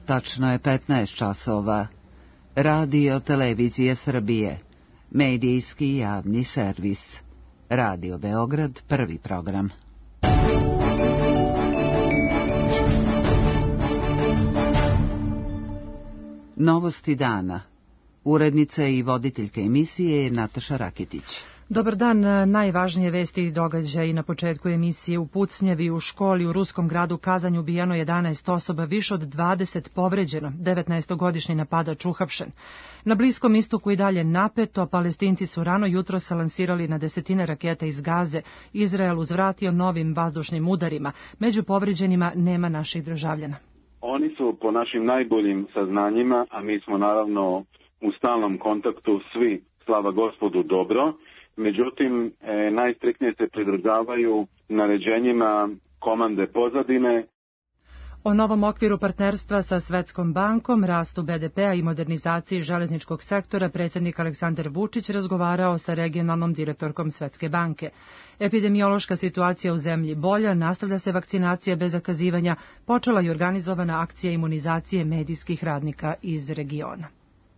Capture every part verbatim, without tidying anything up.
Tačno je petnaest časova. Radio Televizije Srbije. Medijski javni servis. Radio Beograd, prvi program. Novosti dana. Urednica i voditeljka emisije je Nataša Rakitić. Dobar dan, najvažnije vesti i događaji na početku emisije. U Pucnjevi u školi u ruskom gradu Kazanj ubijeno jedanaest osoba, više od dvadeset povređeno, devetnaestogodišnji napadač uhapšen. Na Bliskom istoku i dalje napeto, Palestinci su rano jutro se lansirali na desetine raketa iz Gaze. Izrael uzvratio novim vazdušnim udarima. Među povređenima nema naših državljana. Oni su po našim najboljim saznanjima, a mi smo naravno u stalnom kontaktu svi, slava Gospodu, dobro. Međutim, e, najstriktnije se pridržavaju naređenjima komande pozadine. O novom okviru partnerstva sa Svetskom bankom, rastu be de pea i modernizaciji železničkog sektora predsjednik Aleksandar Vučić razgovarao sa regionalnom direktorkom Svetske banke. Epidemiološka situacija u zemlji bolja, nastavlja se vakcinacija bez zakazivanja, počela je organizovana akcija imunizacije medijskih radnika iz regiona.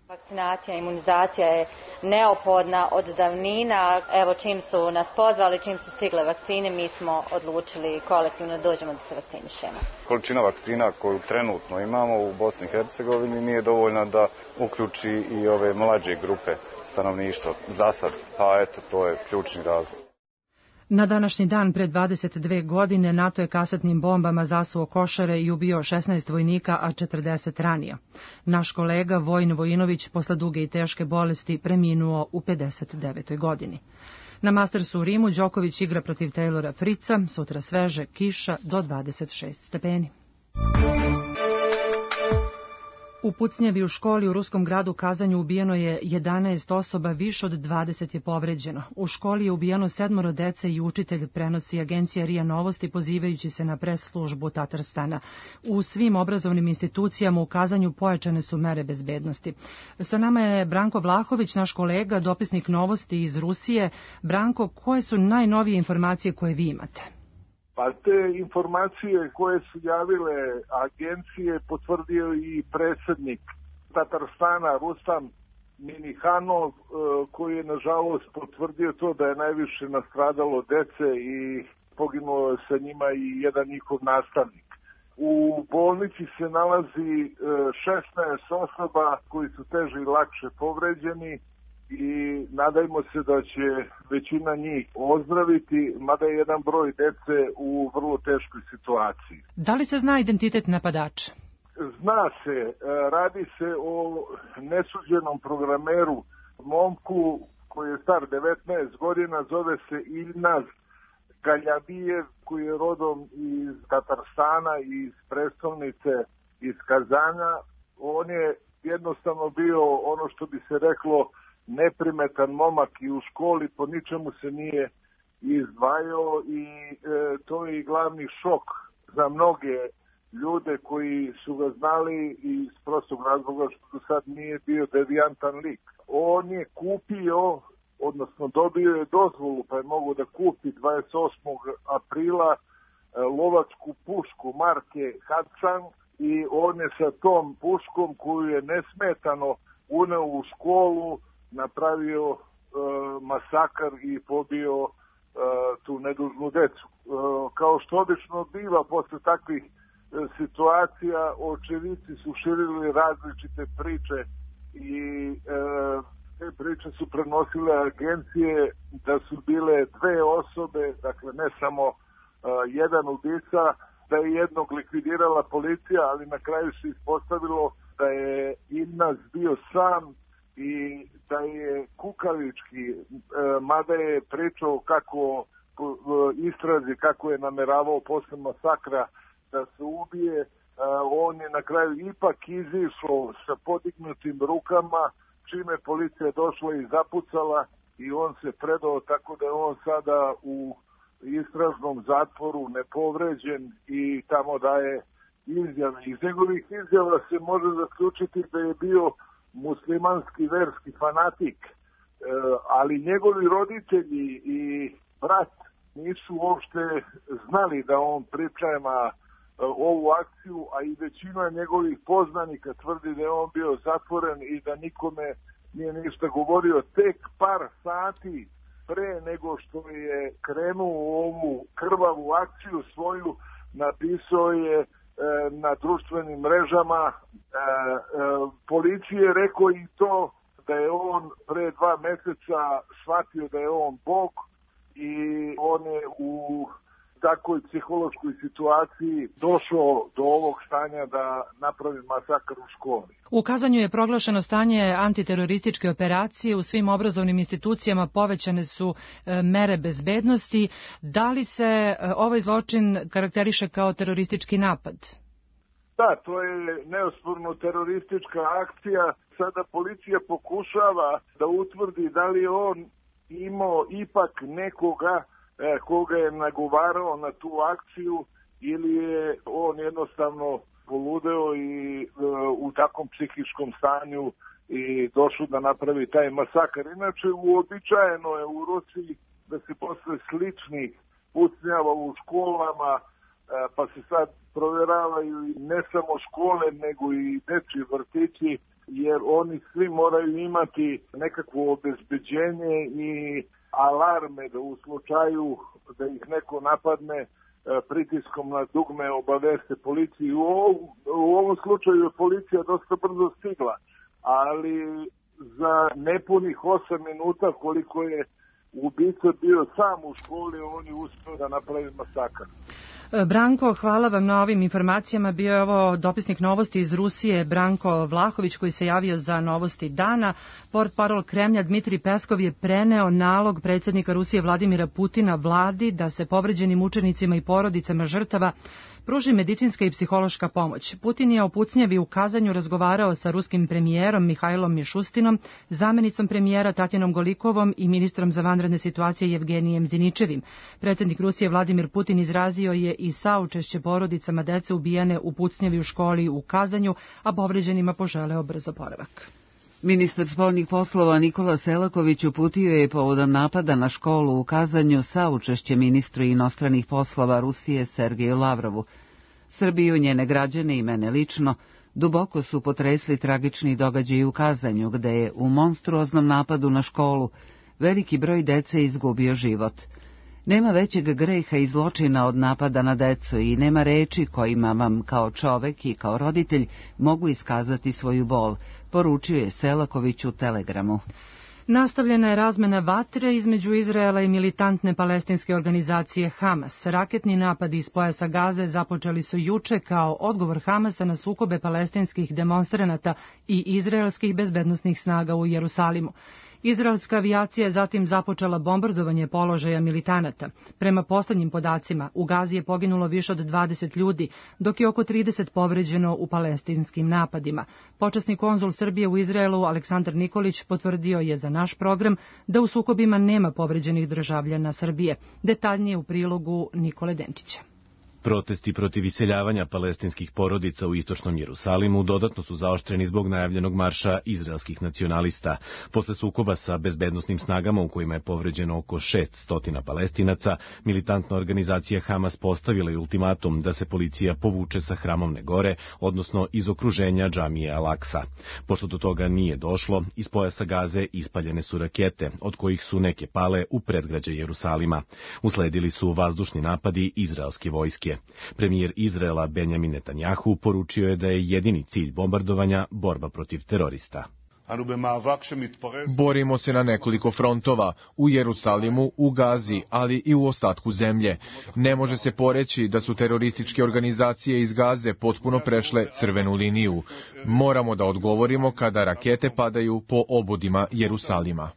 Vakcinacija, imunizacija je neophodna od davnina. Evo, čim su nas pozvali, čim su stigle vakcine, mi smo odlučili kolektivno dođemo da se vakcinišemo. Količina vakcina koju trenutno imamo u Bosni i Hercegovini nije dovoljna da uključi i ove mlađe grupe stanovništva za sad, pa eto, to je ključni razlog. Na današnji dan pred dvadeset dve godine NATO je kasetnim bombama zasuo Košare i ubio šesnaest vojnika, a četrdeset ranio. Naš kolega Vojin Vojinović posle duge i teške bolesti preminuo u pedeset devetoj godini. Na Mastersu u Rimu Đoković igra protiv Taylora Fritza, sutra sveže, kiša do dvadeset šest stepeni. U Pucnjevi u školi u ruskom gradu Kazanju ubijeno je jedanaest osoba, više od dvadeset je povređeno. U školi je ubijeno sedmoro dece i učitelj, prenosi agencija RIA Novosti pozivajući se na pres službu Tatarstana. U svim obrazovnim institucijama u Kazanju pojačane su mere bezbednosti. Sa nama je Branko Vlahović, naš kolega, dopisnik Novosti iz Rusije. Branko, koje su najnovije informacije koje vi imate? Pa te informacije koje su javile agencije potvrdio i predsjednik Tatarstana Rustam Minihanov, koji je nažalost potvrdio to da je najviše nastradalo dece i poginulo je sa njima i jedan njihov nastavnik. U bolnici se nalazi šesnaest osoba koji su teže i lakše povređeni i nadajmo se da će većina njih ozdraviti, mada je jedan broj dece u vrlo teškoj situaciji. Da li se zna identitet napadača? Zna se, radi se o nesuđenom programeru, momku koji je star devetnaest godina, zove se Ilnaz Galjabijev, koji je rodom iz Tatarstana, iz prestolnice, iz Kazanja. On je jednostavno bio ono što bi se reklo neprimetan momak i u školi po ničemu se nije izdvajao i e, to je i glavni šok za mnoge ljude koji su ga znali iz prostog razloga što do sad nije bio devijantan lik. On je kupio, odnosno dobio je dozvolu pa je mogao da kupi dvadeset osmog aprila e, lovačku pušku marke Hudson i on je sa tom puškom koju je nesmetano uneo u školu napravio e, masakar i pobio e, tu nedužnu decu. E, kao što obično biva posle takvih e, situacija, očevici su širili različite priče i e, te priče su prenosile agencije da su bile dve osobe, dakle ne samo e, jedan ubica, da je jednog likvidirala policija, ali na kraju se ispostavilo da je Ilnaz bio sam i da je kukavički, e, mada je pričao kako istrazi, kako je nameravao posle masakra da se ubije, e, on je na kraju ipak izišao sa podignutim rukama, čime policija došla i zapucala i on se predao, tako da je on sada u istražnom zatvoru nepovređen i tamo daje izjave. Iz njegovih izjava se može zaključiti da je bio muslimanski verski fanatik, e, ali njegovi roditelji i brat nisu uopšte znali da on priprema ovu akciju, a i većina njegovih poznanika tvrdi da je on bio zatvoren i da nikome nije ništa govorio. Tek par sati pre nego što je krenuo u ovu krvavu akciju svoju, napisao je e, na društvenim mrežama e, e, policije, rekao i to da je on pre dva meseca shvatio da je on Bog i on je u takvoj psihološkoj situaciji došao do ovog stanja da napravi masakr u školi. U Kazanju je proglašeno stanje antiterorističke operacije, u svim obrazovnim institucijama povećane su e, mere bezbednosti. Da li se e, ovaj zločin karakteriše kao teroristički napad? Da, to je neosporno teroristička akcija. Sada policija pokušava da utvrdi da li je on imao ipak nekoga e, koga je nagovarao na tu akciju ili je on jednostavno poludeo i e, u takvom psihičkom stanju i došao da napravi taj masakar. Inače, uobičajeno je u Rusiji da se posle sličnih pucnjava u školama, e, pa se sad provjeravaju ne samo škole, nego i dečji vrtići, jer oni svi moraju imati nekakvo obezbeđenje i alarme da u slučaju da ih neko napadne pritiskom na dugme obaveste policiju. U ovom, u ovom slučaju je policija dosta brzo stigla, ali za nepunih osam minuta koliko je ubica bio sam u školi, on je uspio da napravi masakar. Branko, hvala vam na ovim informacijama. Bio je ovo dopisnik novosti iz Rusije, Branko Vlahović, koji se javio za novosti dana. Portparol Kremlja Dmitrij Peskov je preneo nalog predsjednika Rusije Vladimira Putina vladi da se povređenim učenicima i porodicama žrtava pruži medicinska i psihološka pomoć. Putin je o pucnjavi u Kazanju razgovarao sa ruskim premijerom Mihajlom Mišustinom, zamenicom premijera Tatjanom Golikovom i ministrom za vanredne situacije Jevgenijem Ziničevim. Predsjednik Rusije Vladimir Putin izrazio je i saučešće porodicama dece ubijene u pucnjavi u školi u Kazanju, a povređenima poželeo brz oporavak. Ministar spoljnih poslova Nikola Selaković uputio je povodom napada na školu u Kazanju saučešće ministru inostranih poslova Rusije Sergeju Lavrovu. Srbiju, njene građane i mene lično duboko su potresli tragični događaji u Kazanju, gde je u monstruoznom napadu na školu veliki broj dece izgubio život. Nema većeg greha i zločina od napada na decu i nema reči kojima vam kao čovek i kao roditelj mogu iskazati svoju bol, poručio je Selaković u telegramu. Nastavljena je razmena vatre između Izraela i militantne palestinske organizacije Hamas. Raketni napadi iz pojasa Gaze započeli su juče kao odgovor Hamasa na sukobe palestinskih demonstranata i izraelskih bezbednosnih snaga u Jerusalimu. Izraelska avijacija je zatim započela bombardovanje položaja militanata. Prema poslednjim podacima, u Gazi je poginulo više od dvadeset ljudi, dok je oko trideset povređeno u palestinskim napadima. Počasni konzul Srbije u Izraelu Aleksandar Nikolić potvrdio je za naš program da u sukobima nema povređenih državljana Srbije. Detaljnije u prilogu Nikole Denčića. Protesti protiv iseljavanja palestinskih porodica u istočnom Jerusalimu dodatno su zaoštreni zbog najavljenog marša izraelskih nacionalista. Posle sukoba sa bezbednosnim snagama u kojima je povređeno oko šest stotina Palestinaca, militantna organizacija Hamas postavila je ultimatum da se policija povuče sa Hramovne gore, odnosno iz okruženja džamije Al-Aksa. Pošto do toga nije došlo, iz pojasa Gaze ispaljene su rakete, od kojih su neke pale u predgrađe Jerusalima. Usledili su vazdušni napadi izraelske vojske. Premijer Izraela Benjamin Netanjahu poručio je da je jedini cilj bombardovanja borba protiv terorista. Borimo se na nekoliko frontova, u Jerusalimu, u Gazi, ali i u ostatku zemlje. Ne može se poreći da su terorističke organizacije iz Gaze potpuno prešle crvenu liniju. Moramo da odgovorimo kada rakete padaju po obodima Jerusalima.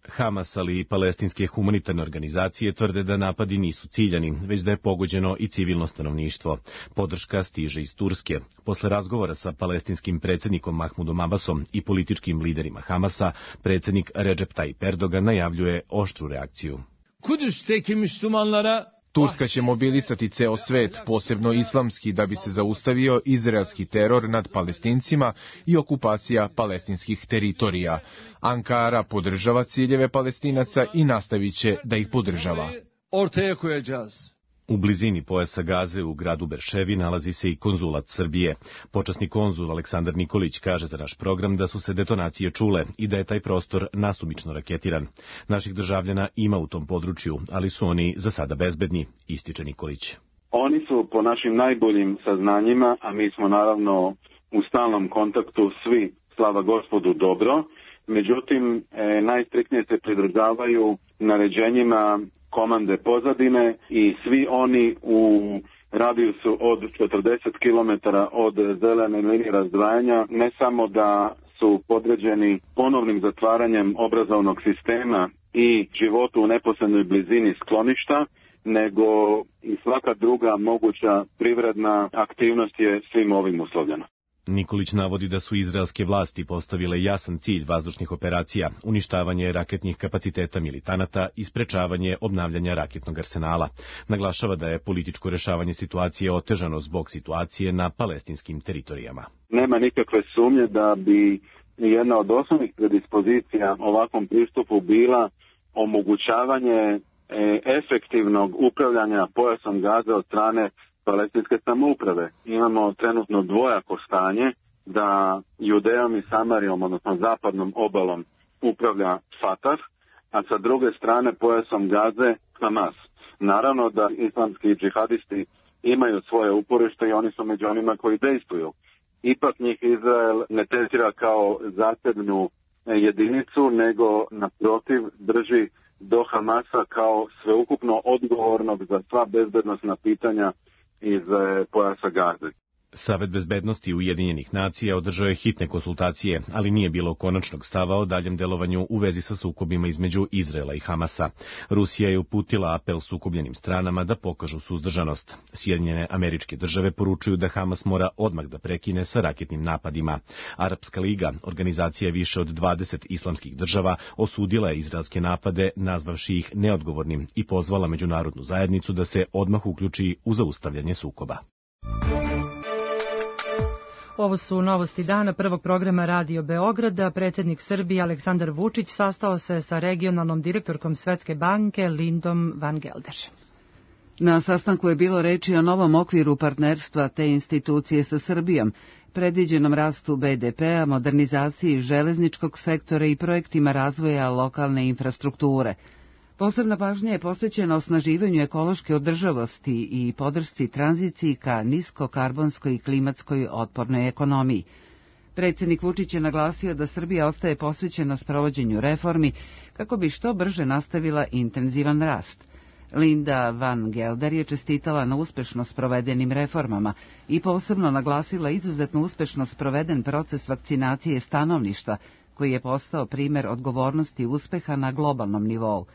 Hamas, ali i palestinske humanitarne organizacije tvrde da napadi nisu ciljani, već da je pogođeno i civilno stanovništvo. Podrška stiže iz Turske. Posle razgovora sa palestinskim predsjednikom Mahmudom Abbasom i političkim liderima Hamasa, predsjednik Recep Tayyip Erdogan najavljuje oštru reakciju. Kudüs'teki Müslümanlara Turska će mobilisati ceo svet, posebno islamski, da bi se zaustavio izraelski teror nad Palestincima i okupacija palestinskih teritorija. Ankara podržava ciljeve Palestinaca i nastavit će da ih podržava. ortaya koyacağız. U blizini pojasa Gaze u gradu Berševi nalazi se i konzulat Srbije. Počasni konzul Aleksandar Nikolić kaže za naš program da su se detonacije čule i da je taj prostor nasumično raketiran. Naših državljana ima u tom području, ali su oni za sada bezbedni, ističe Nikolić. Oni su po našim najboljim saznanjima, a mi smo naravno u stalnom kontaktu svi, slava Gospodu, dobro. Međutim, e, najstriktnije se pridržavaju naređenjima komande pozadine i svi oni u radijusu od četrdeset kilometara od zelene linije razdvajanja ne samo da su podređeni ponovnim zatvaranjem obrazovnog sistema i životu u neposrednoj blizini skloništa, nego i svaka druga moguća privredna aktivnost je svim ovim uslovljena. Nikolić navodi da su izraelske vlasti postavile jasan cilj vazdušnih operacija, uništavanje raketnih kapaciteta militanata i sprečavanje obnavljanja raketnog arsenala. Naglašava da je političko rešavanje situacije otežano zbog situacije na palestinskim teritorijama. Nema nikakve sumnje da bi jedna od osnovnih predispozicija ovakvom pristupu bila omogućavanje efektivnog upravljanja pojasom Gaze od strane palestinske samouprave. Imamo trenutno dvojako stanje da Judejom i Samarijom, odnosno zapadnom obalom, upravlja Fatah, a sa druge strane pojasom Gaze Hamas. Naravno da islamski džihadisti imaju svoje uporište i oni su među onima koji dejstvuju. Ipak njih Izrael ne tretira kao zasebnu jedinicu, nego naprotiv drži do Hamasa kao sveukupno odgovornog za sva bezbednosna pitanja iz pojasa Gaze. Savet bezbednosti Ujedinjenih nacija održao je hitne konsultacije, ali nije bilo konačnog stava o daljem delovanju u vezi sa sukobima između Izraela i Hamasa. Rusija je uputila apel sukobljenim stranama da pokažu suzdržanost. Sjedinjene Američke Države poručuju da Hamas mora odmah da prekine sa raketnim napadima. Arapska liga, organizacija više od dvadeset islamskih država, osudila je izraelske napade, nazvavši ih neodgovornim i pozvala međunarodnu zajednicu da se odmah uključi u zaustavljanje sukoba. Ovo su novosti dana prvog programa Radio Beograda. Predsjednik Srbije Aleksandar Vučić sastao se sa regionalnom direktorkom Svetske banke Lindom Van Gelder. Na sastanku je bilo reči o novom okviru partnerstva te institucije sa Srbijom, predviđenom rastu be de pea, modernizaciji železničkog sektora i projektima razvoja lokalne infrastrukture. Posebna pažnja je posvećena osnaživanju ekološke održavosti i podršci tranziciji ka niskokarbonskoj i klimatskoj otpornoj ekonomiji. Predsjednik Vučić je naglasio da Srbija ostaje posvećena sprovođenju reformi kako bi što brže nastavila intenzivan rast. Linda Van Gelder je čestitala na uspešno sprovedenim reformama i posebno naglasila izuzetno uspešno sproveden proces vakcinacije stanovništva, koji je postao primer odgovornosti i uspeha na globalnom nivou,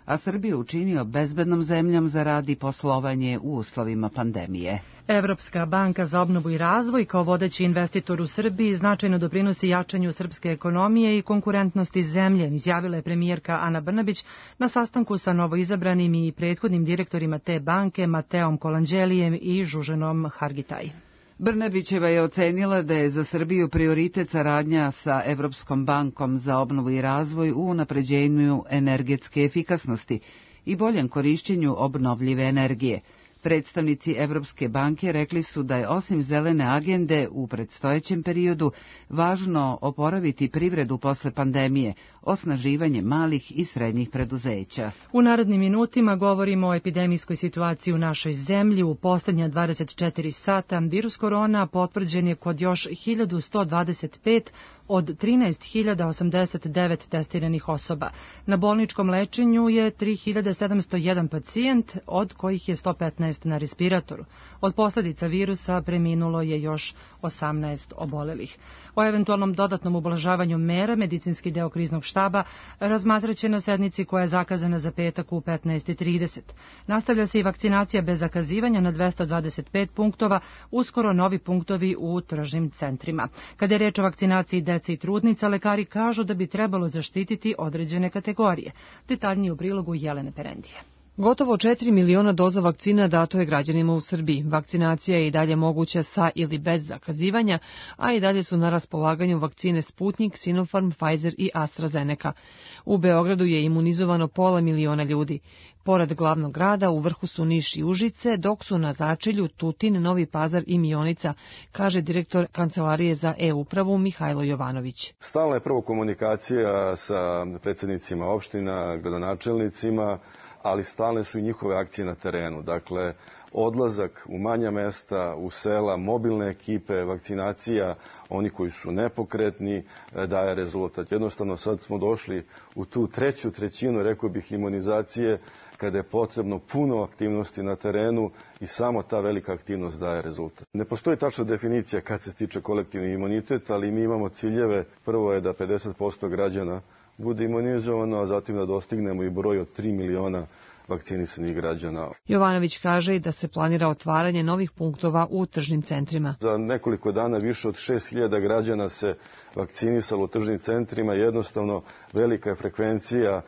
a Srbiju učinio bezbednom zemljom za rad i poslovanje u uslovima pandemije. Evropska banka za obnovu i razvoj kao vodeći investitor u Srbiji značajno doprinosi jačanju srpske ekonomije i konkurentnosti zemlje, izjavila je premijerka Ana Brnabić na sastanku sa novoizabranim i prethodnim direktorima te banke Mateom Kolanđelijem i Žuženom Hargitaj. Brnabićeva je ocenila da je za Srbiju prioritet saradnja sa Evropskom bankom za obnovu i razvoj u unapređenju energetske efikasnosti i boljem korišćenju obnovljive energije. Predstavnici Evropske banke rekli su da je osim zelene agende u predstojećem periodu važno oporaviti privredu posle pandemije, osnaživanje malih i srednjih preduzeća. U narednim minutima govorimo o epidemijskoj situaciji u našoj zemlji. U posljednja dvadeset četiri sata virus korona potvrđen je kod još hiljadu sto dvadeset pet od trinaest hiljada osamdeset devet testiranih osoba. Na bolničkom lečenju je tri hiljade sedamsto jedan pacijent, od kojih je sto petnaest na respiratoru. Od posljedica virusa preminulo je još osamnaest obolelih. O eventualnom dodatnom ublažavanju mera medicinski deo kriznog štaba razmatraće na sednici koja je zakazana za petak u petnaest i trideset. Nastavlja se i vakcinacija bez zakazivanja na dvesta dvadeset pet punktova, uskoro novi punktovi u tržnim centrima. Kada je reč o vakcinaciji dece i trudnica, lekari kažu da bi trebalo zaštititi određene kategorije. Detaljnije u prilogu Jelene Perendije. Gotovo četiri miliona doza vakcina dato je građanima u Srbiji. Vakcinacija je i dalje moguća sa ili bez zakazivanja, a i dalje su na raspolaganju vakcine Sputnik, Sinopharm, Pfizer i AstraZeneca. U Beogradu je imunizovano pola miliona ljudi. Pored glavnog grada, u vrhu su Niš i Užice, dok su na začelju Tutin, Novi Pazar i Mionica, kaže direktor Kancelarije za e-upravu Mihajlo Jovanović. Stalna je prvo komunikacija sa predsjednicima opština, gradonačelnicima, ali stalne su i njihove akcije na terenu. Dakle, odlazak u manja mesta, u sela, mobilne ekipe, vakcinacija, oni koji su nepokretni, daje rezultat. Jednostavno sad smo došli u tu treću trećinu, rekao bih, imunizacije, kada je potrebno puno aktivnosti na terenu i samo ta velika aktivnost daje rezultat. Ne postoji tačna definicija kad se stiče kolektivni imunitet, ali mi imamo ciljeve. Prvo je da pedeset posto građana bude imunizovano, a zatim da dostignemo i broj od tri miliona vakcinisanih građana. Jovanović kaže i da se planira otvaranje novih punktova u tržnim centrima. Za nekoliko dana više od šest hiljada građana se vakcinisalo u tržnim centrima. Jednostavno velika je frekvencija e,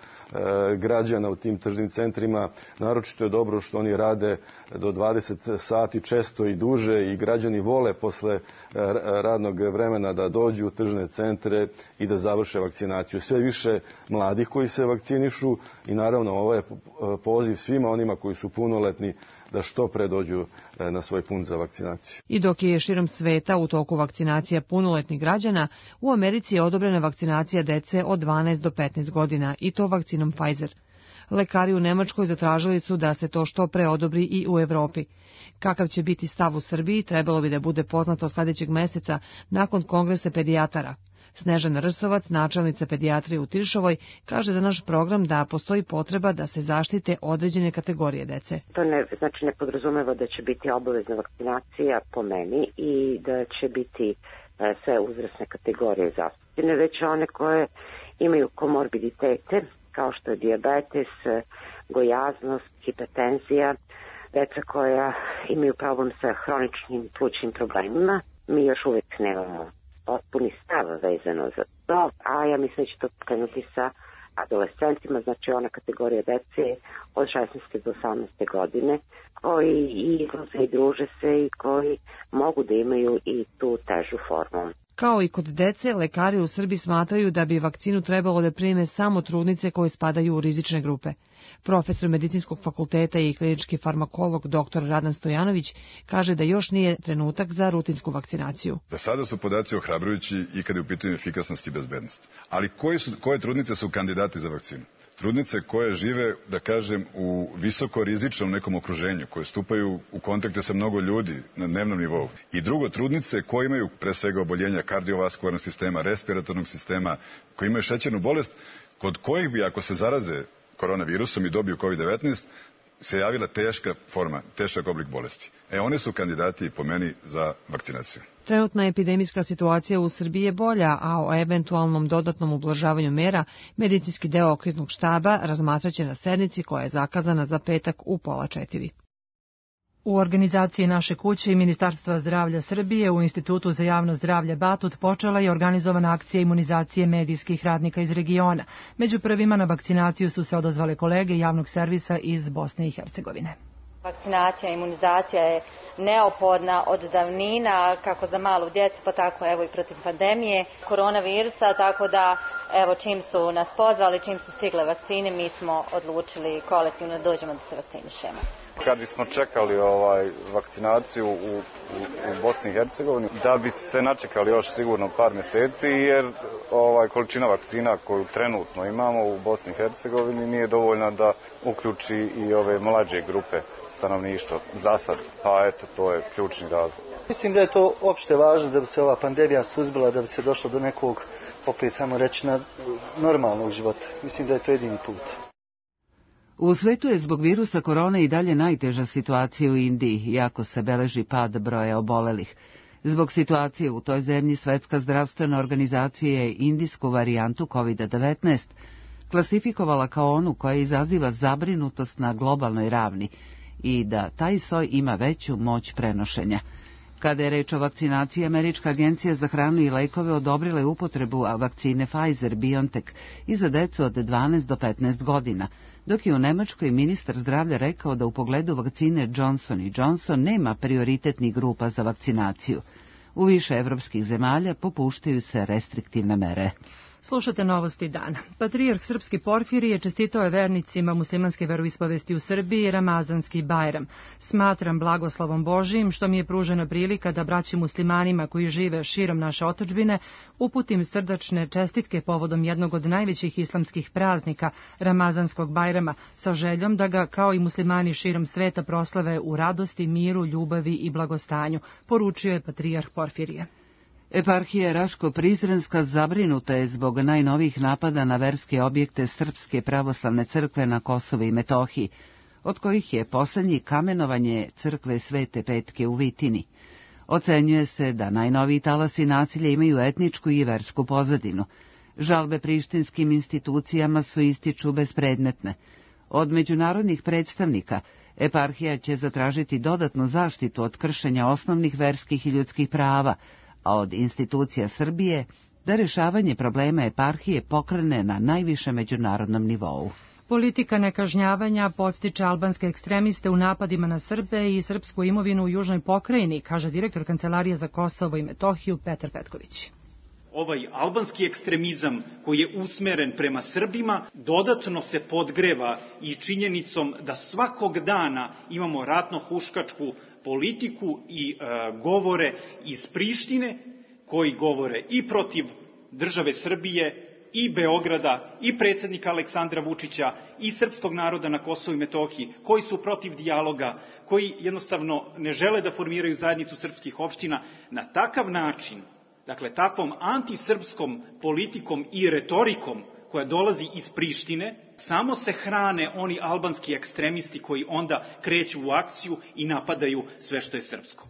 građana u tim tržnim centrima. Naročito je dobro što oni rade do dvadeset sati, često i duže, i građani vole posle e, radnog vremena da dođu u tržne centre i da završe vakcinaciju. Sve više mladih koji se vakcinišu i naravno ovo je poziv svima onima koji su punoletni da što pre dođu na svoj punkt za vakcinaciju. I dok je širom sveta u toku vakcinacija punoletnih građana, u Americi je odobrena vakcinacija dece od dvanaest do petnaest godina i to vakcinom Pfizer. Lekari u Nemačkoj zatražili su da se to što pre odobri i u Evropi. Kakav će biti stav u Srbiji trebalo bi da bude poznato sljedećeg meseca nakon kongresa pedijatara. Snežana Rsovac, načelnica pedijatrije u Tiršovoj, kaže za naš program da postoji potreba da se zaštite određene kategorije dece. To ne, znači ne podrazumeva da će biti obavezna vakcinacija po meni i da će biti e, sve uzrasne kategorije zastupljene, već one koje imaju komorbiditete, kao što je dijabetes, gojaznost, hipertenzija, deca koja imaju problem sa hroničnim plućnim problemima. Mi još uvijek nemamo potpuni stav vezano za to, a ja mislim da će to krenuti sa adolescentima, znači ona kategorija dece od šesnaeste do osamnaeste godine, koji i izlaze i druže se i koji mogu da imaju i tu težu formu. Kao i kod dece, lekari u Srbiji smatraju da bi vakcinu trebalo da prime samo trudnice koje spadaju u rizične grupe. Profesor medicinskog fakulteta i klinički farmakolog dr. Radan Stojanović kaže da još nije trenutak za rutinsku vakcinaciju. Za sada su podaci ohrabrujući i kada je u pitanju efikasnost i bezbednost. Ali koji su, koje trudnice su kandidati za vakcinu? Trudnice koje žive, da kažem, u visoko rizičnom nekom okruženju, koje stupaju u kontakte sa mnogo ljudi na dnevnom nivou. I drugo, trudnice koje imaju pre svega oboljenja kardiovaskularnog sistema, respiratornog sistema, koje imaju šećernu bolest, kod kojih bi, ako se zaraze koronavirusom i dobiju kovid devetnaest, se javila teška forma, težak oblik bolesti. E, one su kandidati po meni za vakcinaciju. Trenutna epidemijska situacija u Srbiji je bolja, a o eventualnom dodatnom ublažavanju mera medicinski deo kriznog štaba razmatraće na sednici koja je zakazana za petak u pola četiri. U organizaciji Naše kuće i Ministarstva zdravlja Srbije u Institutu za javno zdravlje Batut počela je organizovana akcija imunizacije medijskih radnika iz regiona. Među prvima na vakcinaciju su se odazvale kolege javnog servisa iz Bosne i Hercegovine. Vakcinacija, imunizacija je neophodna od davnina, kako za malu djecu, pa tako evo i protiv pandemije koronavirusa, tako da evo čim su nas pozvali, čim su stigle vakcine, mi smo odlučili kolektivno da dođemo da se vakcinišemo. Kad bismo čekali ovaj vakcinaciju u, u, u Bosni i Hercegovini, da bi se načekali još sigurno par mjeseci, jer ovaj količina vakcina koju trenutno imamo u Bosni i Hercegovini nije dovoljna da uključi i ove mlađe grupe stanovništva za sad, pa eto, to je ključni razlog. Mislim da je to opšte važno da bi se ova pandemija suzbila, da bi se došlo do nekog, opet tamo reći, na normalnog života. Mislim da je to jedini put. U svetu je zbog virusa korone i dalje najteža situacija u Indiji, iako se beleži pad broja obolelih. Zbog situacije u toj zemlji Svetska zdravstvena organizacija je indijsku varijantu kovid devetnaest klasifikovala kao onu koja izaziva zabrinutost na globalnoj ravni i da taj soj ima veću moć prenošenja. Kada je reč o vakcinaciji, Američka agencija za hranu i lekove odobrila je upotrebu vakcine Pfizer-BioNTech i za decu od dvanaest do petnaest godina, dok je u Nemačkoj ministar zdravlja rekao da u pogledu vakcine Johnson and Johnson nema prioritetnih grupa za vakcinaciju. U više evropskih zemalja popuštaju se restriktivne mere. Slušate novosti dana. Patrijarh srpski Porfirije čestitao je vernicima muslimanske veroispovesti u Srbiji Ramazanski Bajram. Smatram blagoslovom Božijim što mi je pružena prilika da braći muslimanima koji žive širom naše otadžbine uputim srdačne čestitke povodom jednog od najvećih islamskih praznika, Ramazanskog Bajrama, sa željom da ga kao i muslimani širom sveta proslave u radosti, miru, ljubavi i blagostanju, poručio je patrijarh Porfirije. Eparhija Raško-Prizrenska zabrinuta je zbog najnovijih napada na verske objekte Srpske pravoslavne crkve na Kosovu i Metohiji, od kojih je posljednji kamenovanje crkve Svete Petke u Vitini. Ocenjuje se da najnoviji talasi nasilja imaju etničku i versku pozadinu. Žalbe prištinskim institucijama su ističu bespredmetne. Od međunarodnih predstavnika eparhija će zatražiti dodatnu zaštitu od kršenja osnovnih verskih i ljudskih prava, a od institucija Srbije da rješavanje problema eparhije pokrene na najvišem međunarodnom nivou. Politika nekažnjavanja podstiče albanske ekstremiste u napadima na Srbe i srpsku imovinu u južnoj pokrajini, kaže direktor Kancelarije za Kosovo i Metohiju Petar Petković. Ovaj albanski ekstremizam koji je usmeren prema Srbima dodatno se podgreva i činjenicom da svakog dana imamo ratno-huškačku politiku i e, govore iz Prištine koji govore i protiv države Srbije i Beograda i predsjednika Aleksandra Vučića i srpskog naroda na Kosovu i Metohiji, koji su protiv dijaloga, koji jednostavno ne žele da formiraju zajednicu srpskih opština. Na takav način, dakle takvom antisrpskom politikom i retorikom koja dolazi iz Prištine, samo se hrane oni albanski ekstremisti koji onda kreću u akciju i napadaju sve što je srpsko.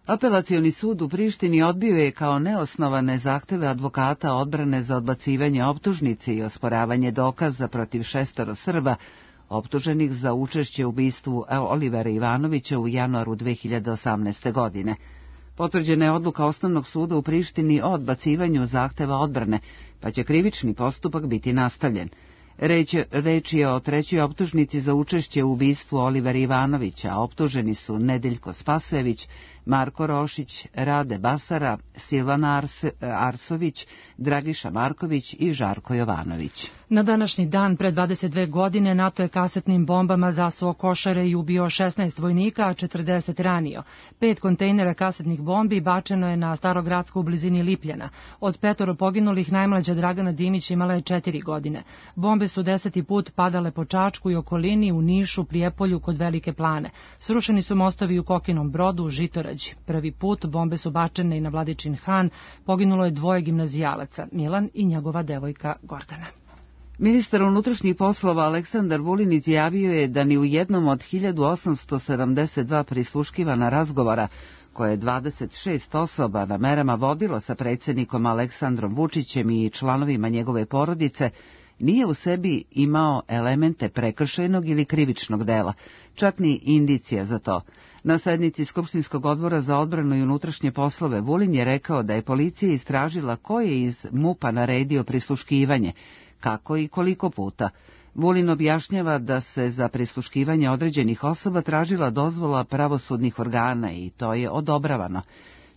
Apelacioni sud u Prištini odbio je kao neosnovane zahteve advokata odbrane za odbacivanje optužnice i osporavanje dokaza protiv šestoro Srba, optuženih za učešće u ubistvu Olivera Ivanovića u januaru dve hiljade osamnaeste. godine. Potvrđena je odluka Osnovnog suda u Prištini o odbacivanju zahteva odbrane, pa će krivični postupak biti nastavljen. Reč, reč je o trećoj optužnici za učešće u ubistvu Olivera Ivanovića, a optuženi su Nedeljko Spasojević, Marko Rošić, Rade Basara, Silvana Ars, Arsović, Dragiša Marković i Žarko Jovanović. Na današnji dan pre dvadeset dve godine NATO je kasetnim bombama zasuo Košare i ubio šesnaest vojnika, a četrdeset ranio. Pet kontejnera kasetnih bombi bačeno je na Starogradsku u blizini Lipljana. Od petoro poginulih najmlađa Dragana Dimić imala je četiri godine. Bombe su deseti put padale po Čačku i okolini, u Nišu, Prijepolju, kod Velike Plane. Srušeni su mostovi u Kokinom Brodu, u Žitorađi. Prvi put bombe su bačene i na Vladičin Han, poginulo je dvoje gimnazijalaca, Milan i njegova devojka Gordana. Ministar unutrašnjih poslova Aleksandar Vulin izjavio je da ni u jednom od hiljadu osamsto sedamdeset dva prisluškivana razgovora, koje je dvadeset šest osoba na merama vodilo sa predsjednikom Aleksandrom Vučićem i članovima njegove porodice, nije u sebi imao elemente prekršajnog ili krivičnog dela, čak ni indicija za to. Na sednici Skupštinskog odbora za odbranu i unutrašnje poslove Vulin je rekao da je policija istražila ko je iz MUP-a naredio prisluškivanje, kako i koliko puta. Vulin objašnjava da se za prisluškivanje određenih osoba tražila dozvola pravosudnih organa i to je odobravano.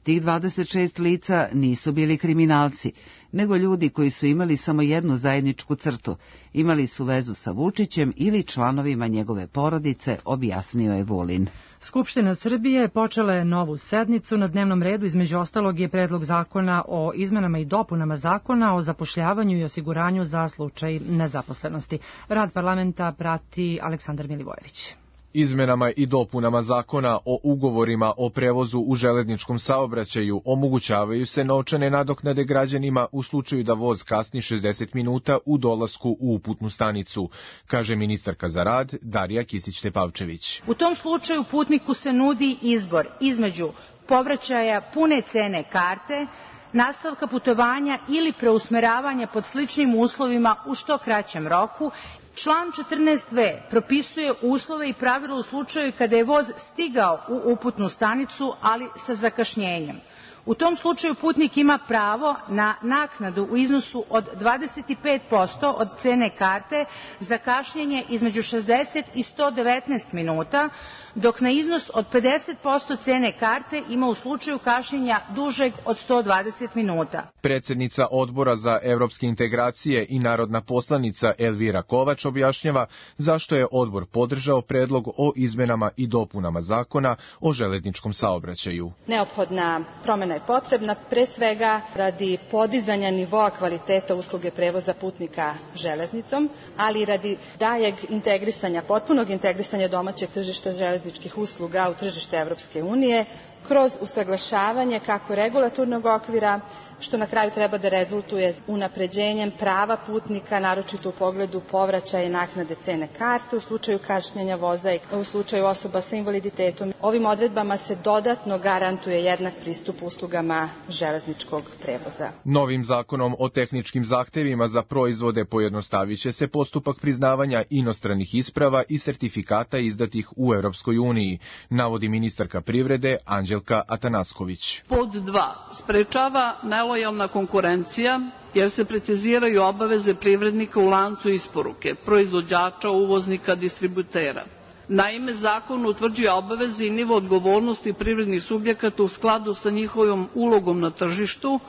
Tih dvadeset šest lica nisu bili kriminalci, nego ljudi koji su imali samo jednu zajedničku crtu, imali su vezu sa Vučićem ili članovima njegove porodice, objasnio je Vulin. Skupština Srbije počela je novu sednicu. Na dnevnom redu između ostalog je predlog zakona o izmenama i dopunama zakona o zapošljavanju i osiguranju za slučaj nezaposlenosti. Rad parlamenta prati Aleksandar Milivojević. Izmenama i dopunama zakona o ugovorima o prevozu u železničkom saobraćaju omogućavaju se novčane nadoknade građanima u slučaju da voz kasni šezdeset minuta u dolasku u uputnu stanicu, kaže ministarka za rad Darija Kisić-Tepavčević. U tom slučaju putniku se nudi izbor između povraćaja pune cene karte, nastavka putovanja ili preusmeravanja pod sličnim uslovima u što kraćem roku Član četrnaest ve propisuje uslove i pravila u slučaju kada je voz stigao u uputnu stanicu, ali sa zakašnjenjem. U tom slučaju putnik ima pravo na naknadu u iznosu od dvadeset pet posto od cene karte za kašnjenje između šezdeset i sto devetnaest minuta, dok na iznos od pedeset posto cene karte ima u slučaju kašnjenja dužeg od sto dvadeset minuta. Predsednica Odbora za evropske integracije i narodna poslanica Elvira Kovač objašnjava zašto je odbor podržao predlog o izmenama i dopunama zakona o železničkom saobraćaju. Neophodna promena je potrebna pre svega radi podizanja nivoa kvaliteta usluge prevoza putnika železnicom, ali i radi daljeg integrisanja, potpunog integrisanja domaćeg tržišta železničkih usluga u tržište Evropske unije kroz usaglašavanje kako regulatornog okvira, što na kraju treba da rezultuje unapređenjem prava putnika, naročito u pogledu povraćaja i naknade cene karte u slučaju kašnjenja voza i u slučaju osoba sa invaliditetom. Ovim odredbama se dodatno garantuje jednak pristup uslugama železničkog prevoza. Novim zakonom o tehničkim zahtevima za proizvode pojednostaviće se postupak priznavanja inostranih isprava i sertifikata izdatih u Evropskoj uniji, navodi ministarka privrede Anđelka Atanasković. Pod dva. Sprečava nelojalna konkurencija jer se preciziraju obaveze privrednika u lancu isporuke, proizvođača, uvoznika, distributera. Naime, zakon utvrđuje obaveze i nivo odgovornosti privrednih subjekata u skladu sa njihovim ulogom na tržištu,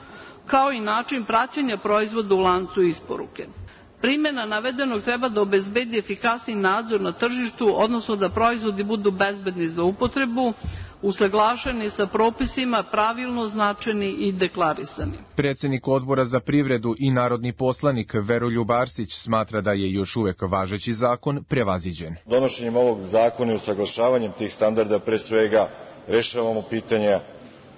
kao i način praćenja proizvoda u lancu isporuke. Primjena navedenog treba da obezbedi efikasni nadzor na tržištu, odnosno da proizvodi budu bezbedni za upotrebu, usaglašeni sa propisima, pravilno označeni i deklarisani. Predsednik Odbora za privredu i narodni poslanik Veroljub Arsić smatra da je još uvek važeći zakon prevaziđen. Donošenjem ovog zakona i usaglašavanjem tih standarda pre svega rešavamo pitanja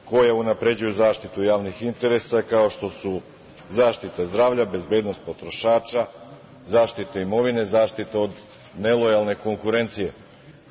koje unapređuju zaštitu javnih interesa, kao što su zaštita zdravlja, bezbednost potrošača, zaštita imovine, zaštita od nelojalne konkurencije.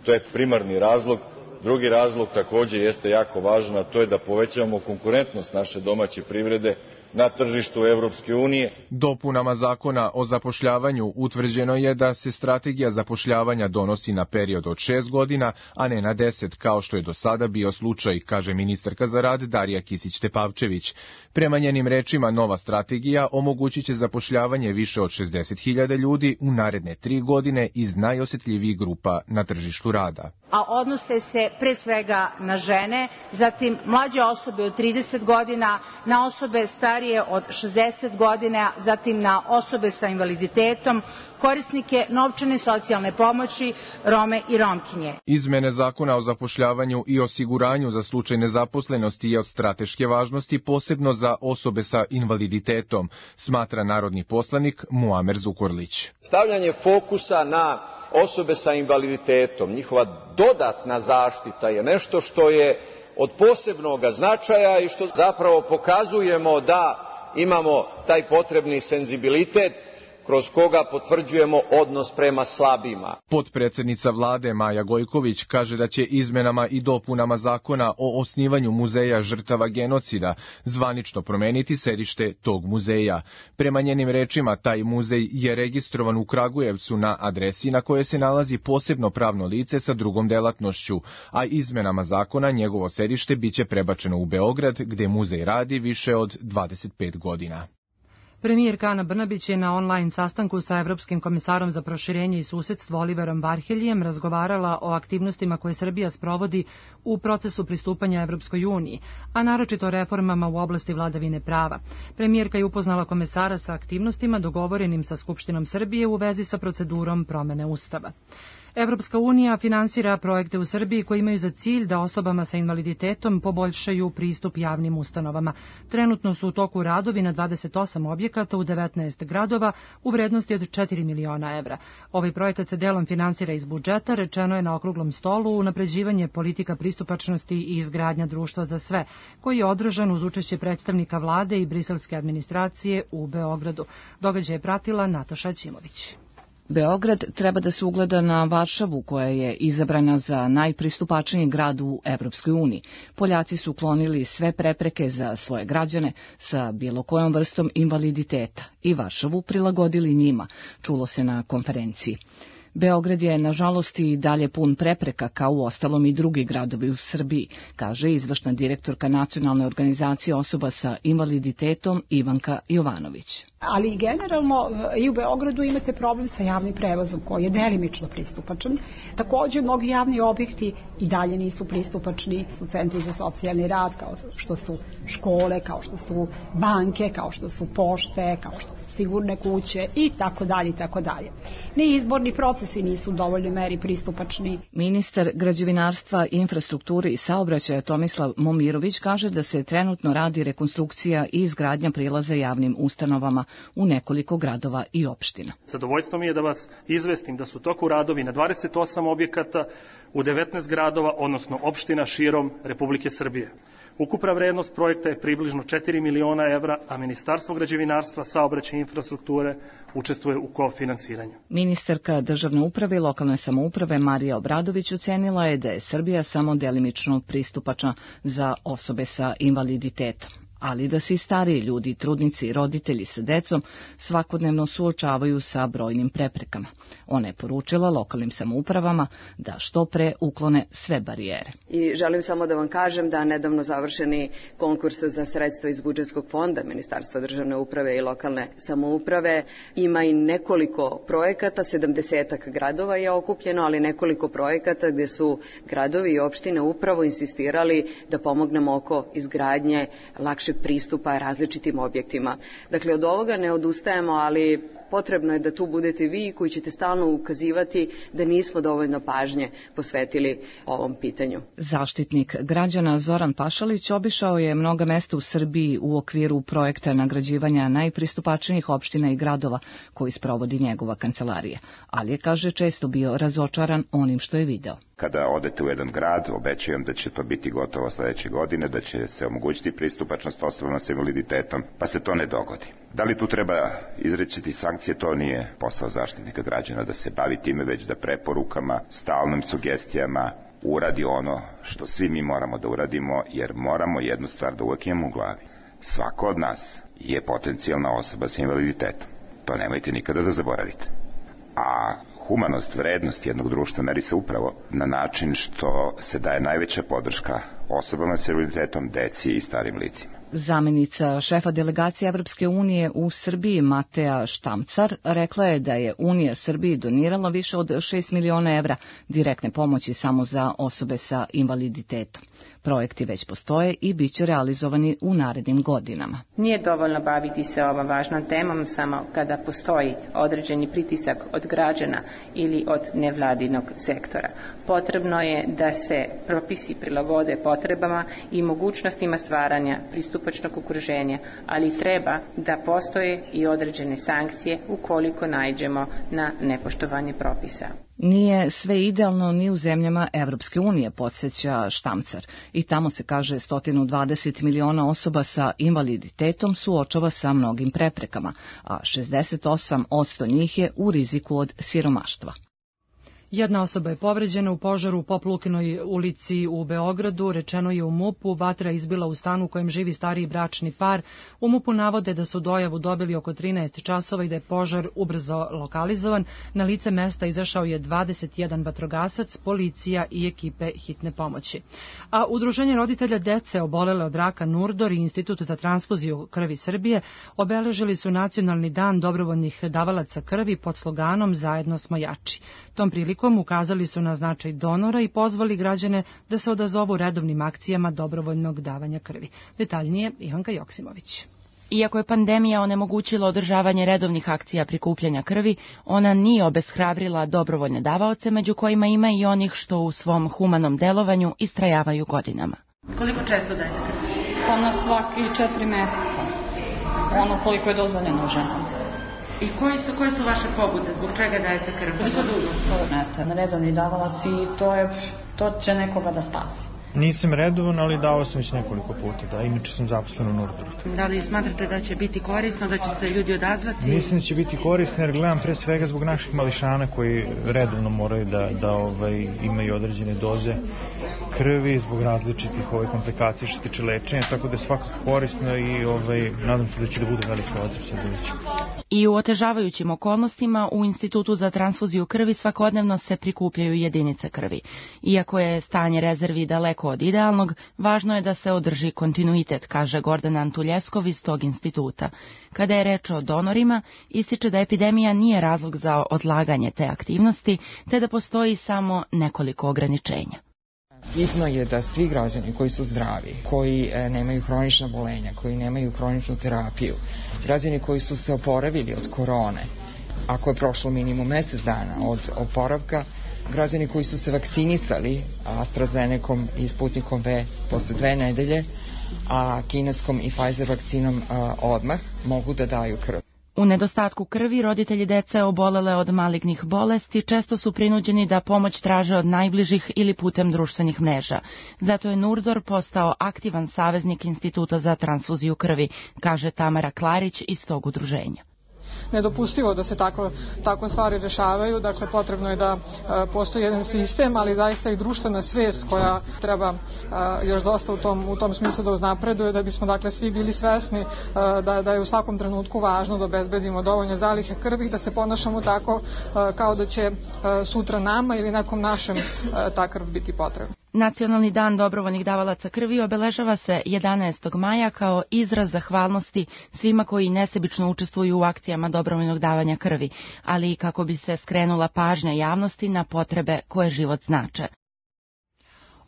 To je primarni razlog. Drugi razlog takođe jeste jako važan, a to je da povećavamo konkurentnost naše domaće privrede na tržištu Evropske unije. Dopunama zakona o zapošljavanju utvrđeno je da se strategija zapošljavanja donosi na period od šest godina, a ne na deset, kao što je do sada bio slučaj, kaže ministarka za rad Darija Kisić-Tepavčević. Prema njenim rečima, nova strategija omogućit će zapošljavanje više od šezdeset hiljada ljudi u naredne tri godine iz najosetljivijih grupa na tržištu rada. A odnose se pre svega na žene, zatim mlađe osobe od trideset godina, na osobe starije od šezdeset godina, zatim na osobe sa invaliditetom, korisnike novčane socijalne pomoći, Rome i Romkinje. Izmene zakona o zapošljavanju i osiguranju za slučaj nezaposlenosti je od strateške važnosti, posebno za osobe sa invaliditetom, smatra narodni poslanik Muamer Zukorlić. Stavljanje fokusa na osobe sa invaliditetom, njihova dodatna zaštita je nešto što je od posebnog značaja i što zapravo pokazujemo da imamo taj potrebni senzibilitet kroz koga potvrđujemo odnos prema slabima. Potpredsednica vlade Maja Gojković kaže da će izmenama i dopunama zakona o osnivanju muzeja žrtava genocida zvanično promeniti sedište tog muzeja. Prema njenim rečima, taj muzej je registrovan u Kragujevcu na adresi na kojoj se nalazi posebno pravno lice sa drugom delatnošću, a izmenama zakona njegovo sedište biće prebačeno u Beograd, gde muzej radi više od dvadeset pet godina. Premijerka Ana Brnabić je na online sastanku sa Evropskim komisarom za proširenje i susedstvo Oliverom Varheljijem razgovarala o aktivnostima koje Srbija sprovodi u procesu pristupanja Evropskoj uniji, a naročito o reformama u oblasti vladavine prava. Premijerka je upoznala komesara sa aktivnostima dogovorenim sa Skupštinom Srbije u vezi sa procedurom promene Ustava. Evropska unija finansira projekte u Srbiji koji imaju za cilj da osobama sa invaliditetom poboljšaju pristup javnim ustanovama. Trenutno su u toku radovi na dvadeset osam objekata u devetnaest gradova u vrednosti od četiri miliona evra. Ovaj projekat se delom finansira iz budžeta, rečeno je na okruglom stolu unapređivanje politika pristupačnosti i izgradnja društva za sve, koji je održan uz učešće predstavnika vlade i briselske administracije u Beogradu. Događaj je pratila Nataša Ćimović. Beograd treba da se ugleda na Varšavu, koja je izabrana za najpristupačniji grad u Evropskoj uniji. Poljaci su uklonili sve prepreke za svoje građane sa bilo kojom vrstom invaliditeta i Varšavu prilagodili njima, čulo se na konferenciji. Beograd je, nažalost, i dalje pun prepreka, kao u ostalom i drugi gradovi u Srbiji, kaže izvršna direktorka Nacionalne organizacije osoba sa invaliditetom Ivanka Jovanović. Ali generalno i u Beogradu imate problem sa javnim prevozom koji je delimično pristupačan. Takođe, mnogi javni objekti i dalje nisu pristupačni, su centri za socijalni rad, kao što su škole, kao što su banke, kao što su pošte, kao što su sigurne kuće i tako dalje i tako dalje. Ni izborni procesi nisu u dovoljnoj meri pristupačni. Ministar građevinarstva, infrastrukture i saobraćaja Tomislav Momirović kaže da se trenutno radi rekonstrukcija i izgradnja prilaza javnim ustanovama u nekoliko gradova i opština. Zadovoljstvo mi je da vas izvestim da su toku radovi na dvadeset osam objekata u devetnaest gradova, odnosno opština širom Republike Srbije. Ukupna vrednost projekta je približno četiri miliona evra, a Ministarstvo građevinarstva, saobraćaja i infrastrukture učestvuje u kofinansiranju. Ministarka državne uprave i lokalne samouprave Marija Obradović ocenila je da je Srbija samo delimično pristupačna za osobe sa invaliditetom, ali da se i stariji ljudi, trudnici i roditelji sa decom svakodnevno suočavaju sa brojnim preprekama. Ona je poručila lokalnim samoupravama da što pre uklone sve barijere. I želim samo da vam kažem da nedavno završeni konkurs za sredstva iz budžetskog fonda Ministarstva državne uprave i lokalne samouprave ima i nekoliko projekata, sedamdesetak gradova je okupljeno, ali nekoliko projekata gde su gradovi i opštine upravo insistirali da pomognemo oko izgradnje lakše pristupa različitim objektima. Dakle, od ovoga ne odustajemo, ali potrebno je da tu budete vi koji ćete stalno ukazivati da nismo dovoljno pažnje posvetili ovom pitanju. Zaštitnik građana Zoran Pašalić obišao je mnoga mesta u Srbiji u okviru projekta nagrađivanja najpristupačnijih opština i gradova koji sprovodi njegova kancelarija, ali je, kaže, često bio razočaran onim što je video. Kada odete u jedan grad, obećajem da će to biti gotovo sledeće godine, da će se omogućiti pristupačnost osobama sa invaliditetom, pa se to ne dogodi. Da li tu treba izrečiti sankcije, to nije posao zaštitnika građana da se bavi time, već da preporukama, stalnim sugestijama uradi ono što svi mi moramo da uradimo, jer moramo jednu stvar da uvek imamo u glavi. Svako od nas je potencijalna osoba sa invaliditetom. To nemojte nikada da zaboravite. A humanost, vrednost jednog društva meri se upravo na način što se daje najveća podrška osobama sa invaliditetom, deci i starim licima. Zamenica šefa delegacije Evropske unije u Srbiji Mateja Štamcar rekla je da je Unija Srbiji donirala više od šest miliona evra direktne pomoći samo za osobe sa invaliditetom. Projekti već postoje i bit će realizovani u narednim godinama. Nije dovoljno baviti se ovom važnom temom samo kada postoji određeni pritisak od građana ili od nevladinog sektora. Potrebno je da se propisi prilagode potrebama i mogućnostima stvaranja pristupačnog okruženja, ali treba da postoje i određene sankcije ukoliko naiđemo na nepoštovanje propisa. Nije sve idealno ni u zemljama Evropske unije, podsjeća Štamcar. I tamo se, kaže, sto dvadeset miliona osoba sa invaliditetom suočava sa mnogim preprekama, a šezdeset osam posto njih je u riziku od siromaštva. Jedna osoba je povređena u požaru u Poplukinoj ulici u Beogradu, rečeno je u MUP-u, vatra izbila u stanu u kojem živi stariji bračni par. U MUP-u navode da su dojavu dobili oko trinaest časova i da je požar ubrzo lokalizovan. Na lice mesta izašao je dvadeset jedan vatrogasac, policija i ekipe hitne pomoći. A Udruženje roditelja dece obolele od raka Nurdor i Institut za transfuziju krvi Srbije obeležili su Nacionalni dan dobrovoljnih davalaca krvi pod sloganom Zajedno smo jači. Tom prilikom ukazali su na značaj donora i pozvali građane da se odazovu redovnim akcijama dobrovoljnog davanja krvi. Detaljnije Ivanka Joksimović. Iako je pandemija onemogućila održavanje redovnih akcija prikupljanja krvi, ona nije obeshrabrila dobrovoljne davaoce, među kojima ima i onih što u svom humanom delovanju istrajavaju godinama. Koliko često dajete krvi? Pa na svaki četiri meseca. Ono koliko je dozvoljeno ženama. I koji su, koje su vaše pobude? Zbog čega dajete krv? Koliko dugo? To ne sam redovni davalac i to, je, to će nekoga da spasi. Nisam redovan, ali dao sam već nekoliko puta, da, inače sam zaposlen u Nurdoru. Da li smatrate da će biti korisno, da će se ljudi odazvati? Mislim da će biti korisno, jer gledam pre svega zbog naših mališana koji redovno moraju da, da ovaj, imaju određene doze krvi zbog različitih ovaj, komplikacija što se tiče lečenja, tako da je svakako korisno i ovaj, nadam se da će da bude veliki odziv sa budućim. I u otežavajućim okolnostima u Institutu za transfuziju krvi svakodnevno se prikupljaju jedinice krvi. Iako je stanje rezervi daleko od idealnog, važno je da se održi kontinuitet, kaže Gordana Antuljeskov iz tog instituta. Kada je reč o donorima, ističe da epidemija nije razlog za odlaganje te aktivnosti, te da postoji samo nekoliko ograničenja. Bitno je da svi građani koji su zdravi, koji e, nemaju hronična bolenja, koji nemaju hroničnu terapiju, građani koji su se oporavili od korone, ako je prošlo minimum mesec dana od oporavka, građani koji su se vakcinisali AstraZenecom i Sputnikom V posle dve nedelje, a kineskom i Pfizer vakcinom a, odmah, mogu da daju krv. U nedostatku krvi roditelji dece obolele od malignih bolesti često su prinuđeni da pomoć traže od najbližih ili putem društvenih mreža. Zato je Nurdor postao aktivan saveznik Instituta za transfuziju krvi, kaže Tamara Klarić iz tog udruženja. Nedopustivo da se tako, tako stvari rešavaju, dakle potrebno je da a, postoji jedan sistem, ali zaista i društvena svest koja treba a, još dosta u tom, u tom smislu da uznapreduje, da bismo dakle svi bili svesni a, da, da je u svakom trenutku važno da obezbedimo dovoljne zalihe krvi, da se ponašamo tako a, kao da će a, sutra nama ili nekom našem a, ta krv biti potrebna. Nacionalni dan dobrovoljnih davalaca krvi obeležava se jedanaestog maja kao izraz zahvalnosti svima koji nesebično učestvuju u akcijama dobrovoljnog davanja krvi, ali i kako bi se skrenula pažnja javnosti na potrebe koje život znače.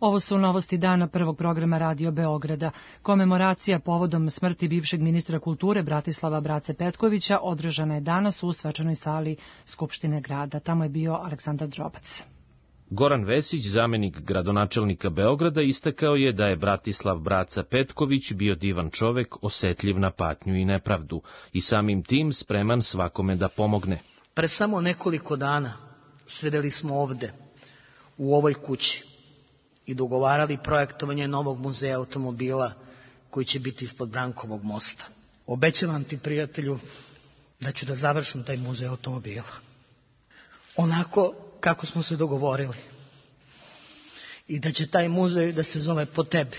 Ovo su novosti dana prvog programa Radio Beograda. Komemoracija povodom smrti bivšeg ministra kulture Bratislava Brace Petkovića održana je danas u svečanoj sali Skupštine grada. Tamo je bio Aleksandar Drobac. Goran Vesić, zamenik gradonačelnika Beograda, istakao je da je Bratislav Braca Petković bio divan čovek, osetljiv na patnju i nepravdu i samim tim spreman svakome da pomogne. Pre samo nekoliko dana sedeli smo ovde, u ovoj kući, i dogovarali projektovanje novog muzeja automobila koji će biti ispod Brankovog mosta. Obećavam ti, prijatelju, da ću da završim taj muzej automobila. Onako kako smo se dogovorili. I da će taj muzej da se zove po tebi.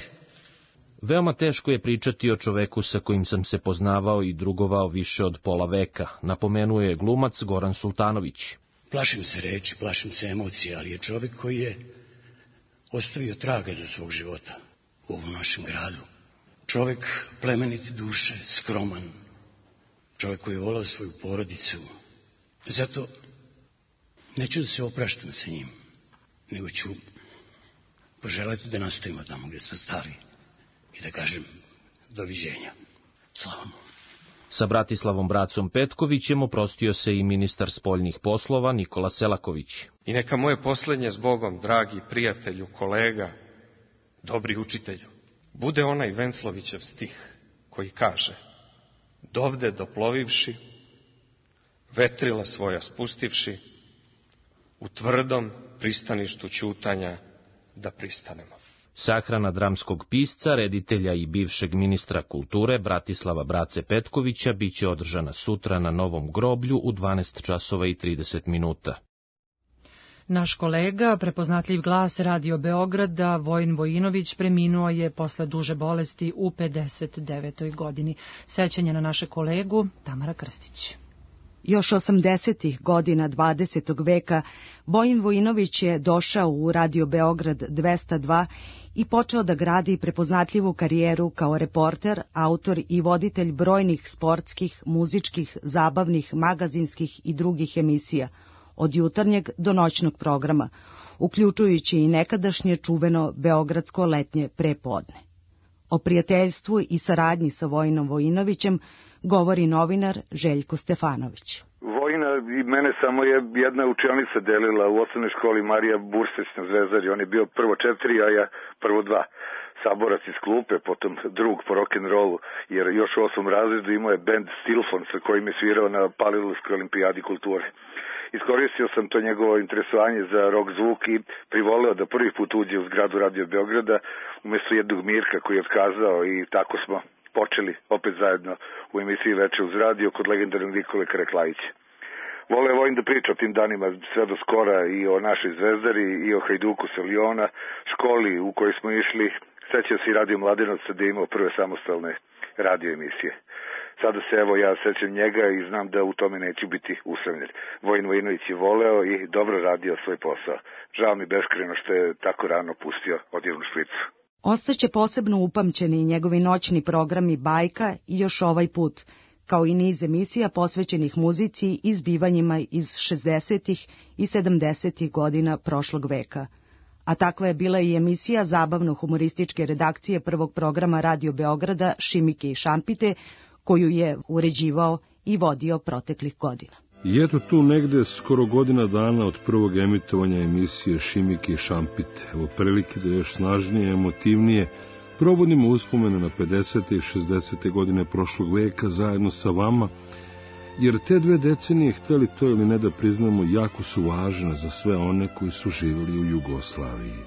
Veoma teško je pričati o čoveku sa kojim sam se poznavao i drugovao više od pola veka, napomenuo je glumac Goran Sultanović. Plašim se reči, plašim se emocija, ali je čovek koji je ostavio traga za svog života u ovom našem gradu. Čovek plemenite duše, skroman. Čovek koji je volao svoju porodicu. Zato neću da se opraštam sa njim, nego ću poželeti da nastavimo tamo gde smo stali i da kažem doviđenja. Slava mu. Sa Bratislavom Bracom Petkovićem oprostio se i ministar spoljnih poslova Nikola Selaković. I neka moje poslednje s Bogom, dragi prijatelju, kolega, dobri učitelju, bude onaj Venclovićev stih koji kaže: dovde doplovivši, vetrila svoja spustivši, u tvrdom pristaništu ćutanja da pristanemo. Sahrana dramskog pisca, reditelja i bivšeg ministra kulture Bratislava Brace Petkovića biće održana sutra na Novom groblju u dvanaest časova i trideset minuta. Naš kolega, prepoznatljiv glas Radio Beograda, Vojin Vojinović, preminuo je posle duže bolesti u pedeset devetoj godini. Sećanje na naše kolegu Tamara Krstić. Još osamdesetih godina dvadesetog veka Vojin Vojinović je došao u Radio Beograd dvesta dva i počeo da gradi prepoznatljivu karijeru kao reporter, autor i voditelj brojnih sportskih, muzičkih, zabavnih, magazinskih i drugih emisija, od jutarnjeg do noćnog programa, uključujući i nekadašnje čuveno beogradsko letnje prepodne. O prijateljstvu i saradnji sa Vojinom Vojinovićem govori novinar Željko Stefanović. Vojina i mene samo je jedna učionica delila u osnovnoj školi Marija Burseć na Zvezdari. On je bio prvo četiri, a ja prvo dva. Saborac iz klupe, potom drug po rock'n'rollu, jer još u osmom razredu imao je bend Stilfon sa kojim je svirao na Palilulskoj olimpijadi kulture. iskoristio sam to njegovo interesovanje za rock zvuk i privoleo da prvi put uđe u zgradu Radio Beograda umjesto jednog Mirka koji je otkazao i tako smo počeli opet zajedno u emisiji Veče uz radio kod legendarnog Nikole Karaklajića. Voleo je Vojin da priča o tim danima sve do skora i o našoj Zvezdari i o Hajduku sa Liona, školi u kojoj smo išli. Sećam se i Radio Mladenovca da je imao prve samostalne radio emisije. Sada se evo ja sećam njega i znam da u tome neću biti usamljen. Vojin Vojinović je voleo i dobro radio svoj posao. Žao mi beskreno što je tako rano pustio odjevnu špricu. Ostaće posebno upamćeni njegovi noćni programi Bajka i Još ovaj put, kao i niz emisija posvećenih muzici i zbivanjima iz šezdesetih i sedamdesetih godina prošlog veka. A takva je bila i emisija zabavno-humorističke redakcije prvog programa Radio Beograda Šimike i Šampite, koju je uređivao i vodio proteklih godina. I eto tu negde skoro godina dana od prvog emitovanja emisije Šimike i Šampite. Evo prilike da još snažnije, emotivnije probudimo uspomene na pedesete i šezdesete godine prošlog veka zajedno sa vama, jer te dve decenije, hteli to ili ne da priznamo, jako su važne za sve one koji su živjeli u Jugoslaviji.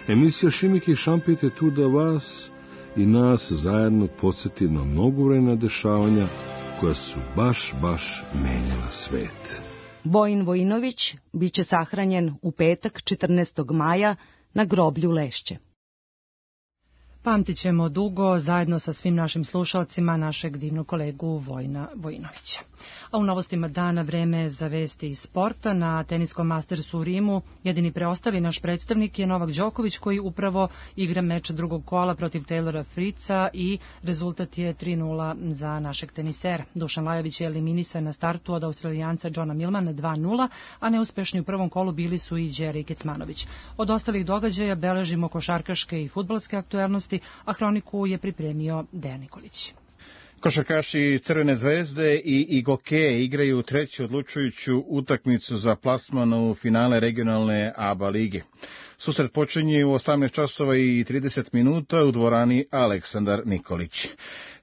Emisija Šimike i Šampite tu da vas i nas zajedno podsjeti na mnogobrojna dešavanja koja su baš, baš menjala svet. Vojin Vojinović biće sahranjen u petak četrnaestog maja na groblju Lešće. Pamtit ćemo dugo zajedno sa svim našim slušalcima našeg divnog kolegu Vojina Vojinovića. A u novostima dana vreme za vesti iz sporta. Na teniskom Mastersu u Rimu jedini preostali naš predstavnik je Novak Đoković koji upravo igra meč drugog kola protiv Taylora Fritza i rezultat je tri nula za našeg tenisera. Dušan Lajović je eliminisan na startu od Australijanca Johna Millmana dva nula, a neuspešni u prvom kolu bili su i Đeri Kecmanović. Od ostalih događaja beležimo košarkaške i fudbalske aktuelnosti, a hroniku je pripremio Dejan Nikolić. Košarkaši Crvene zvezde i Igoke igraju treću odlučujuću utakmicu za plasman u finale regionalne A B A lige. Susret počinje u osamnaest časova i trideset minuta u dvorani Aleksandar Nikolić.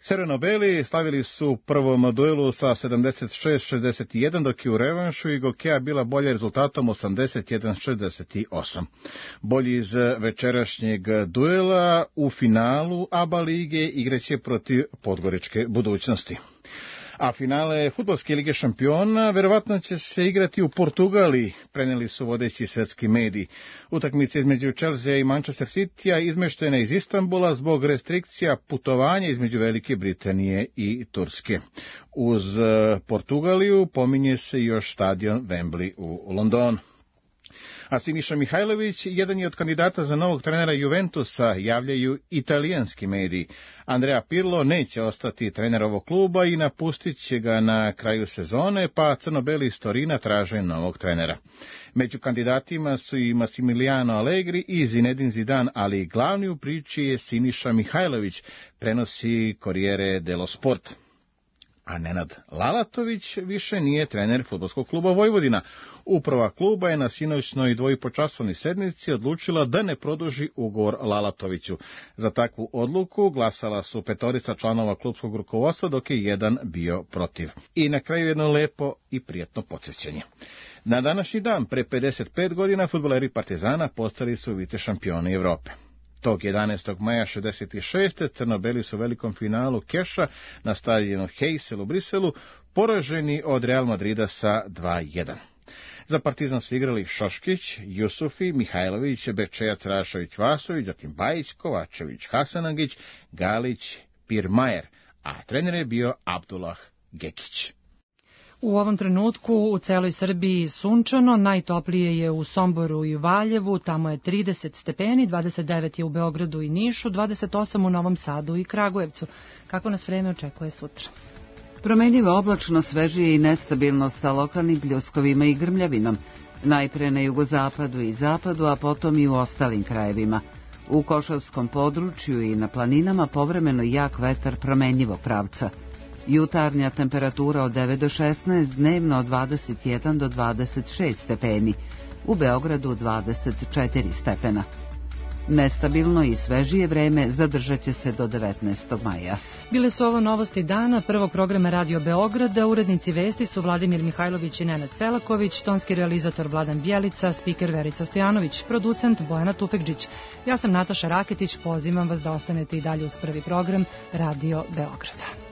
Crveno-beli slavili su u prvom duelu sa sedamdeset šest šezdeset jedan, dok je u revanšu Igokea bila bolja rezultatom osamdeset jedan šezdeset osam. Bolji iz večerašnjeg duela u finalu A B A lige igraće protiv Podgoričke Budućnosti. A finale Fudbalske lige šampiona verovatno će se igrati u Portugaliji, preneli su vodeći svetski mediji. Utakmice između Chelsea i Manchester Citya izmeštena iz Istanbula zbog restrikcija putovanja između Velike Britanije i Turske. Uz Portugaliju pominje se još stadion Wembley u Londonu. A Siniša Mihajlović, jedan je od kandidata za novog trenera Juventusa, javljaju italijanski mediji. Andrea Pirlo neće ostati trener ovog kluba i napustit će ga na kraju sezone, pa crno-beli iz Torina traže novog trenera. Među kandidatima su i Massimiliano Allegri i Zinedine Zidane, ali glavni u priči je Siniša Mihajlović, prenosi Corriere dello Sport. A Nenad Lalatović više nije trener Fudbalskog kluba Vojvodina. Uprava kluba je na sinoćnoj dvojipočasovnoj sednici odlučila da ne produži ugovor Lalatoviću. Za takvu odluku glasala su petorica članova klubskog rukovodstva, dok je jedan bio protiv. I na kraju jedno lepo i prijatno podsjećanje. Na današnji dan, pre pedeset pet godina, fudbaleri Partizana postali su vice šampioni Evrope. Tog jedanaestog maja šezdeset šeste. crno-beli su u velikom finalu keša na stadionu Heysel u Briselu poraženi od Real Madrida sa dva jedan. Za Partizan su igrali Šoškić, Jusufi, Mihajlović, Bečejac, Rašović, Vasović, zatim Bajić, Kovačević, Hasanagić, Galić, Pirmajer, a trener je bio Abdullah Gekić. U ovom trenutku u celoj Srbiji sunčano, najtoplije je u Somboru i Valjevu, tamo je trideset stepeni, dvadeset devet je u Beogradu i Nišu, dvadeset osam u Novom Sadu i Kragujevcu. Kako nas vreme očekuje sutra? Promenljivo oblačno, svežije i nestabilno sa lokalnim pljuskovima i grmljavinom, najpre na jugozapadu i zapadu, a potom i u ostalim krajevima. U Košavskom području i na planinama povremeno jak vetar promenljivog pravca. Jutarnja temperatura od devet do šesnaest, dnevno od dvadeset jedan do dvadeset šest stepeni, u Beogradu dvadeset četiri stepena. Nestabilno i svežije vreme zadržat će se do devetnaestog maja. Bile su ovo novosti dana prvog programa Radio Beograda. Urednici vesti su Vladimir Mihajlović i Nenad Selaković, tonski realizator Vladan Bjelica, spiker Verica Stojanović, producent Bojana Tufekđić. Ja sam Nataša Raketić, pozivam vas da ostanete i dalje uz prvi program Radio Beograda.